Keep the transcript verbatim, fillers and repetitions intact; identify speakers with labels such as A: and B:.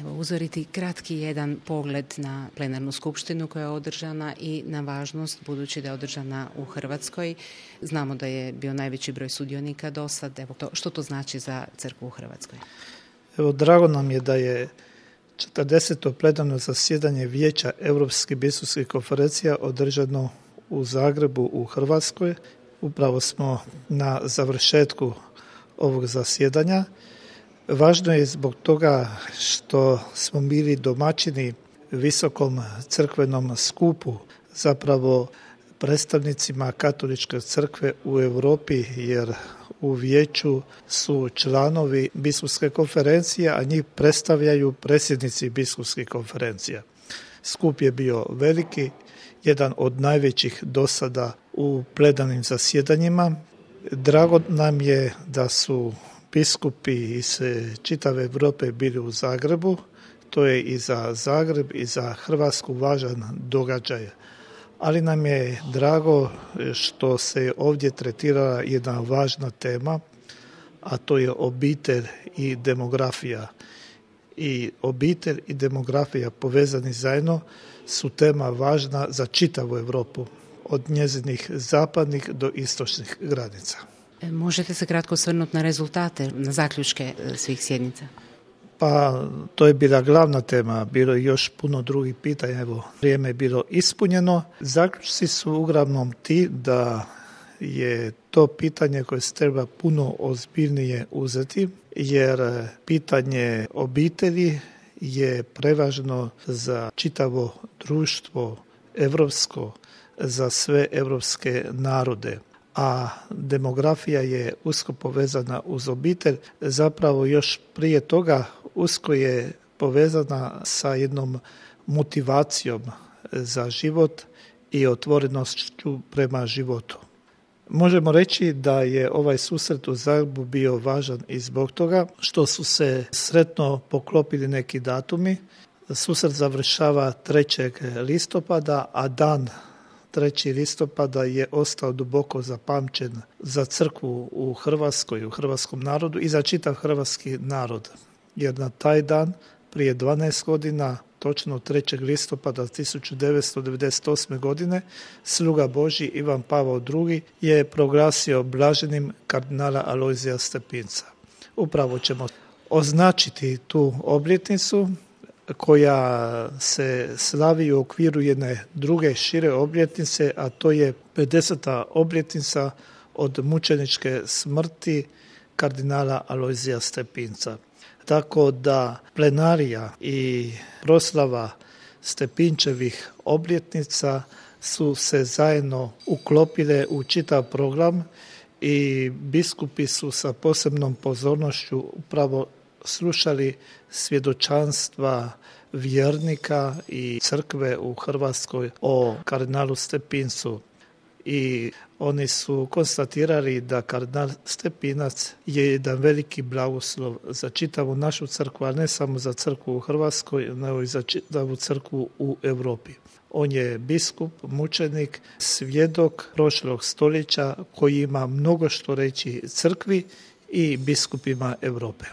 A: Evo, uzoriti kratki jedan pogled na plenarnu skupštinu koja je održana i na važnost, budući da je održana u Hrvatskoj. Znamo da je bio najveći broj sudionika do sad. Evo, to, što to znači za crkvu u Hrvatskoj?
B: Evo, drago nam je da je četrdeseto plenarno zasjedanje Vijeća Europskih biskupskih konferencija održano u Zagrebu u Hrvatskoj. Upravo smo na završetku ovog zasjedanja. Važno je zbog toga što smo bili domaćini visokom crkvenom skupu, zapravo predstavnicima katoličke crkve u Europi, jer u vijeću su članovi biskupske konferencije, a njih predstavljaju predsjednici biskupskih konferencija. Skup je bio veliki, jedan od najvećih do sada u plenarnim zasjedanjima. Drago nam je da su biskupi iz čitave Europe bili u Zagrebu. To je i za Zagreb i za Hrvatsku važan događaj. Ali nam je drago što se ovdje tretirala jedna važna tema, a to je obitelj i demografija. I obitelj i demografija povezani zajedno su tema važna za čitavu Europu, od njezinih zapadnih do istočnih granica.
A: Možete se kratko osvrnuti na rezultate, na zaključke svih sjednica?
B: Pa to je bila glavna tema, bilo je još puno drugih pitanja, evo vrijeme je bilo ispunjeno. Zaključci su uglavnom ti da je to pitanje koje se treba puno ozbiljnije uzeti, jer pitanje obitelji je prevažno za čitavo društvo evropsko, za sve evropske narode. A demografija je usko povezana uz obitelj, zapravo još prije toga usko je povezana sa jednom motivacijom za život i otvorenošću prema životu. Možemo reći da je ovaj susret u Zagrebu bio važan i zbog toga što su se sretno poklopili neki datumi. Susret završava trećeg listopada, a dan trećeg listopada je ostao duboko zapamćen za crkvu u Hrvatskoj, u hrvatskom narodu i za čitav hrvatski narod. Jer na taj dan, prije dvanaest godina, točno trećeg listopada tisuću devetsto devedeset osme. godine, sluga Božji Ivan Pavao drugi. je proglasio blaženim kardinala Alojzija Stepinca. Upravo ćemo označiti tu obljetnicu koja se slavi u okviru jedne druge šire obljetnice, a to je pedeseta obljetnica od mučeničke smrti kardinala Alojzija Stepinca. Tako da plenarija i proslava Stepinčevih obljetnica su se zajedno uklopile u čitav program i biskupi su sa posebnom pozornošću upravo slušali svjedočanstva vjernika i crkve u Hrvatskoj o kardinalu Stepincu. I oni su konstatirali da kardinal Stepinac je jedan veliki blagoslov za čitavu našu crkvu, a ne samo za crkvu u Hrvatskoj, nego i za čitavu crkvu u Europi. On je biskup, mučenik, svjedok prošlog stoljeća koji ima mnogo što reći crkvi i biskupima Europe.